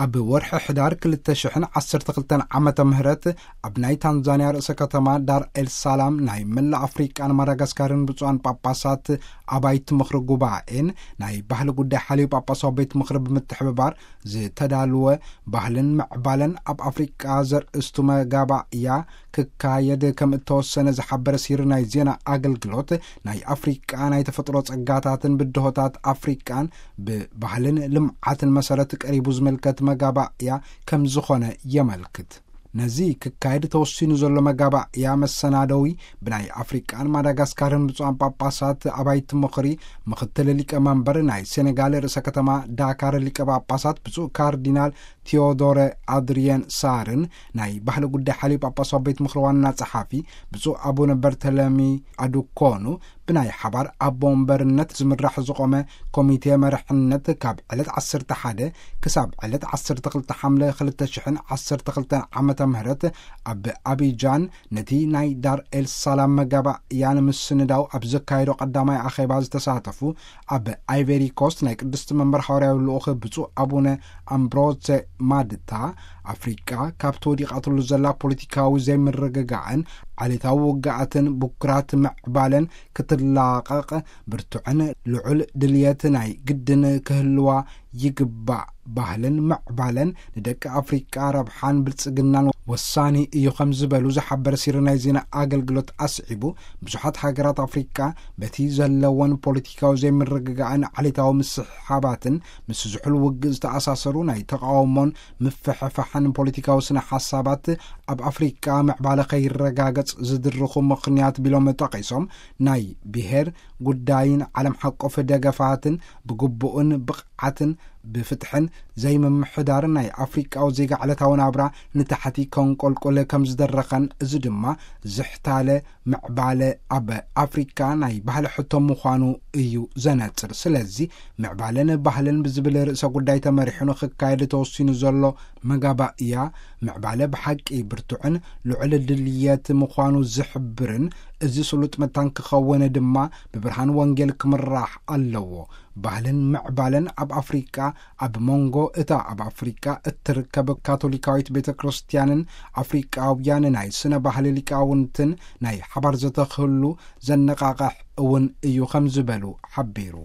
ኣብ ወርሒ ሕዳር ክልተ ሽሕን ዓሰርተ ክልተን ዓመተ ምህረት ኣብ ናይ ታንዛንያ ርእሰ ከተማ ዳር ኤል ሳላም ናይ መላእ ኣፍሪቃን ማዳጋስካርን ብፁዓን ጳጳሳት ኣባይቲ ምኽሪ ጉባኤን ናይ ባህሊ ጉዳይ ሓልዩ ጳጳሳዊ ቤት ምኽሪ ብምትሕብባር ዝተዳልወ ባህልን ምዕባለን ኣብ ኣፍሪቃ ዘርእስቱ መጋባእያ ክካየድ ከም እተወሰነ ዝሓበረ ሲሪ ናይ ዜና ኣገልግሎት፣ ናይ ኣፍሪቃ ናይ ተፈጥሮ ጸጋታትን ብድሆታት ኣፍሪቃን ብባህልን ልምዓትን መሰረት ቀሪቡ ዝምልከት መጋባእያ ከም ዝኾነ የመልክት። ነዚ ክካየድ ተወሲኑ ዘሎ መጋባእያ መሰናደዊ ብናይ ኣፍሪቃን ማዳጋስካርን ብፁዓን ጳጳሳት ኣባይቲ ምኽሪ፣ ምኽትል ሊቀ መንበር ናይ ሴኔጋል ርእሰ ከተማ ዳካር ሊቀ ጳጳሳት ብፁዕ ካርዲናል ቴዎዶረ ኣድሪየን ሳርን ናይ ባህሊ ጉዳይ ሓልዩ ጳጳሳዊ ቤት ምኽሪ ዋና ጸሓፊ ብፁዕ ኣቡነ በርተለሚ ኣዱኮኑ ብናይ ሓባር ኣቦ ወንበርነት ዝምራሕ ዝቖመ ኮሚቴ መርሕነት ካብ ዕለት ዓሰርተ ሓደ ክሳብ ዕለት ዓሰርተ ክልተ ሓምለ ክልተ ሽሕን ዓሰርተ ክልተን ዓመተ ምህረት ኣብ ኣቢጃን ነቲ ናይ ዳር ኤል ሳላም መጋባእያ ንምስንዳው ኣብ ዘካየዶ ቀዳማይ ኣኼባ ዝተሳተፉ ኣብ ኣይቨሪ ኮስት ናይ ቅድስቲ መንበር ሓዋርያዊ ልኡኽ ብፁዕ ኣቡነ ኣምብሮዘ ማድታ፣ ኣፍሪቃ ካብቲ ወዲቓትሉ ዘላ ፖለቲካዊ ዘይምርግጋዕን ዓሌታዊ ውግኣትን ብኩራት ምዕባለን ክትላቐቕ ብርቱዕን ልዑል ድልየት ናይ ግድን ክህልዋ ይግባእ። ባህልን ምዕባለን ንደቂ ኣፍሪቃ ረብሓን ብልጽግናን ወሳኒ እዩ ከም ዝበሉ ዝሓበረ ሲሪ ናይ ዜና ኣገልግሎት ኣስዒቡ፣ ብዙሓት ሃገራት ኣፍሪቃ በቲ ዘለወን ፖለቲካዊ ዘይምርግጋእን ዓሌታዊ ምስሕሓባትን ምስ ዝሑል ውግእ ዝተኣሳሰሩ ናይ ተቃውሞን ምፍሕፋሕን ፖለቲካዊ ስነ ሓሳባት ኣብ ኣፍሪቃ ምዕባለ ከይረጋገጽ ዝድርኹ ምኽንያት ቢሎም ጠቒሶም፣ ናይ ብሄር ጉዳይን ዓለም ሓቆፍ ደገፋትን ብግቡእን ብቕዓትን ብፍትሕን ዘይምምሕዳርን ናይ ኣፍሪቃዊ ዜጋ ዕለታዊ ናብራ ንታሕቲ ከንቆልቁል ከም ዝደረኸን፣ እዚ ድማ ዝሕታለ ምዕባለ ኣብ ኣፍሪካ ናይ ባህሊ ሕቶ ምዃኑ እዩ ዘነጽር። ስለዚ ምዕባለን ባህልን ብዝብል ርእሰ ጉዳይ ተመሪሑ ንክካየድ ተወሲኑ ዘሎ መጋባእያ፣ ምዕባለ ብሓቂ ብርቱዕን ልዑል ድልየት ምዃኑ ዝሕብርን፣ እዚ ስሉጥ መታን ክኸውን ድማ ብብርሃን ወንጌል ክምራሕ ኣለዎ። ባህልን ምዕባለን ኣብ ኣፍሪቃ፣ ኣብ መንጎ እታ ኣብ ኣፍሪቃ እትርከብ ካቶሊካዊት ቤተ ክርስቲያንን ኣፍሪቃውያን ናይ ስነ ባህሊ ሊቃውንትን ናይ ሓባር ዘተ ክህሉ ዘነቓቕሕ እውን እዩ ከም ዝበሉ ሓቢሩ።